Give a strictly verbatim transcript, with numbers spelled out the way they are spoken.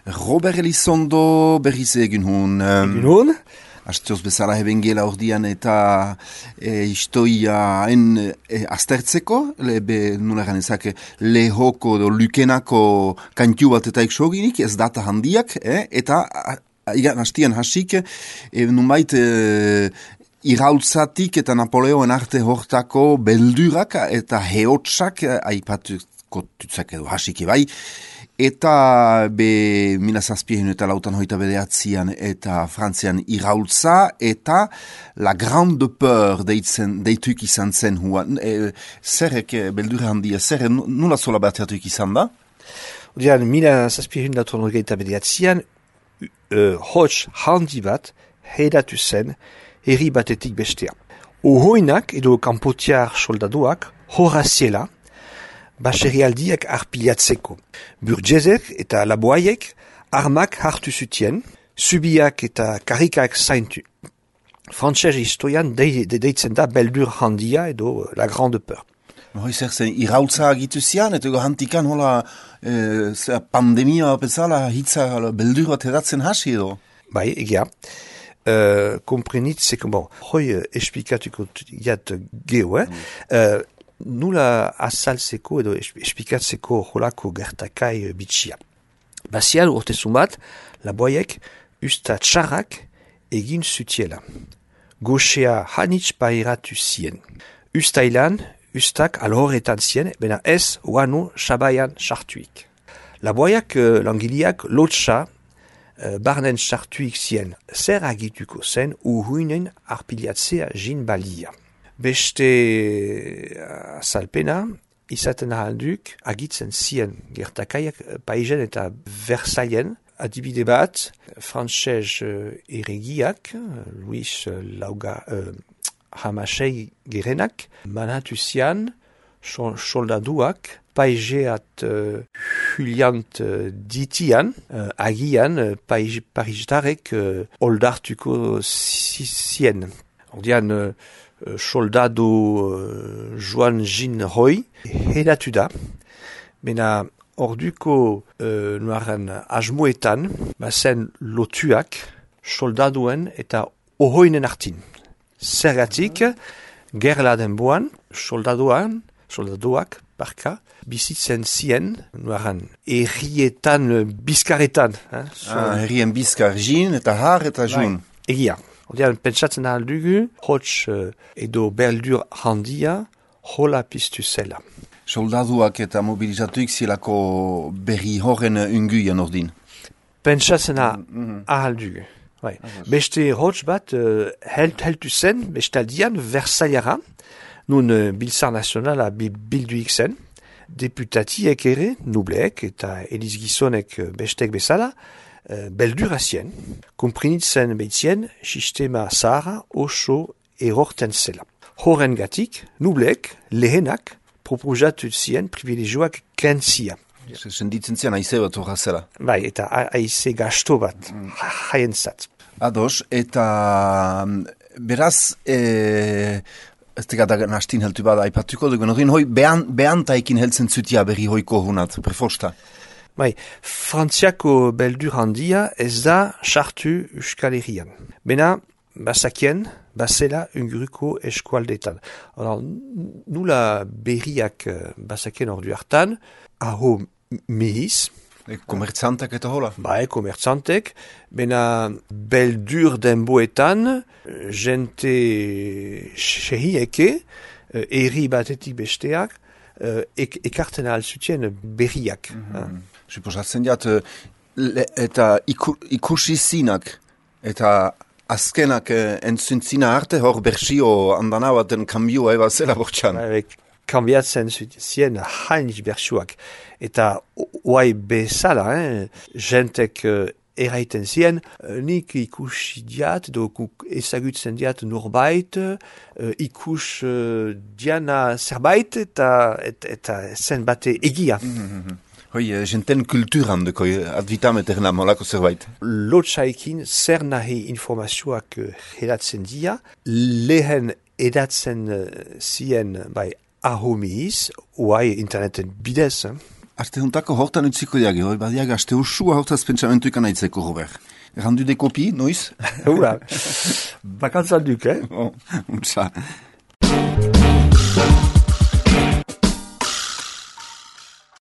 Robert Elizondo berriz egin hun. Egin hun? Astioz bezala heben gela ordian eta e, historia en e, aztertzeko, lebe nula ganezak lehoko do lukenako kantiu bat eta eksoginik, ez data handiak, eh? Eta igan hastian hasik, e, numait e, irautzatik eta Napoleoen arte hortako beldurak eta heotsak aipatuko tutzak edo hasiki bai. Eta be mila zazpien eta lautan hoita bedeatzian eta Frantzian iraultza eta la grande peur deitzen, deituik izan zen huan. E, zerrek beldurra handia, zerre nula zola bateatuik izan da? Odean, mila zazpien eta bedeatzian uh, hots handi bat heidatu zen herri batetik bestea. Ohoinak edo kanpotiar soldaduak horaziela baserrialdiak arpilatzeko. Burgezek eta laboaiek armak hartu zutien, subiak eta karikak zaintu. Frantses historian de, de deitzen da beldur handia edo la grande peur. Hoi zer zen, irautza agitu zian, eta hantikan hola e, pandemia bezala hitza beldur bat edatzen hasi edo? Bai, egia. Uh, komprenitzeko, bon, hoi esplikatuko jat geho, eh? Mm. Uh, Nula azaltzeko edo espikatzeko holako gertakai bitxia. Bazial urtezun bat, laboaiek usta txarrak egin zutiela. Goxea hanitz pairatu zien. Ustailan, ustak alhorretan zien, bena ez wano sabaian sartuik. Laboaiak uh, langiliak lotxa uh, barnen sartuik zien. Zer agituko zen uhuinen arpiliatzea jin balia. Beste azalpena, izaten ahalduk, agitzen zien gertakaiak Paizen eta Versaillen, adibide bat, Frantses uh, erregiak, Louis Lauga uh, Hamasei gerenak, manatu zian, soldaduak, Paizeat uh, Juliant uh, ditian, uh, agian uh, Paristarek uh, oldartuko zien. Ordian, uh, soldado uh, Joan Jean Roy hedatu da, mena orduko uh, nuaren asmoetan, bazen lotuak soldaduen eta ohoinen artin. Zergatik, gerla denboan, soldaduan, soldaduak, parka, bizitzen zien, nuaren errietan, bizkaretan. Eh? So, ah, herrien bizkar, jin eta har eta jun. Egia. Odean, pentsatzen aldugu, hots uh, edo beldur handia, hola piztu zela. Soldaduak eta mobilizatuik zilako berri horren unguian ordin. Pentsatzen mm-hmm. aldugu. Bai. Beste hots bat, uh, held, heltu zen, bestaldian, Versailara, nun uh, biltzar nazionala bilduik zen, deputatiek ere, nubleek eta Eliz Gizonek uh, bestek bezala, Uh, beldur azien, komprenitzen behitzien, sistema zahara oso erorten zela. Horren gatik, nublek, lehenak, proposatu zien privilegioak kentzia. Senditzen zian aize bat horra zela. Bai, eta aize gasto bat, mm. haien zat. Ados, eta beraz, e, ez tegata nastin heltu bada aipatuko dugu, norin hoi behan, behan taikin heltzen zutia berri hoiko honat, prefosta. Bai, Frantziako beldur handia ez da sartu Euskal Herrian. Bena, bazakien, bazela unguruko eskualdetan. Nula berriak bazakien ordu hartan, aho mehiz. E, komertzantek eta hola? Bai, komertzantek. Bena, beldur denboetan, jente sehieke, herri batetik besteak, ek, ekarten alzutien berriak. Mm-hmm. Suposatzen diat, eta iku, ikusi zinak, eta azkenak entzuntzina arte hor bersio andana baten kambioa eba zela bortxan. Kambiatzen zien hainiz bersioak. Eta oai bezala, eh, jentek eraiten zien, nik ikusi diat, edo ezagutzen diat norbait, ikus diana zerbait, eta, eta, eta zen bate egia. Mm-hmm. Hoi, jenten kulturan deko advitam eterna molako zerbait. Lotsaikin zer nahi informazioak hedatzen dia, lehen edatzen zien bai ahomiz, oai interneten bidez, Aste juntako hortan utziko diage, hori badiak aste usua hortaz pentsamentu ikan aitzeko, Robert. Errandu de kopi, noiz? Hura, bakantzan duk, eh? Oh, untsa.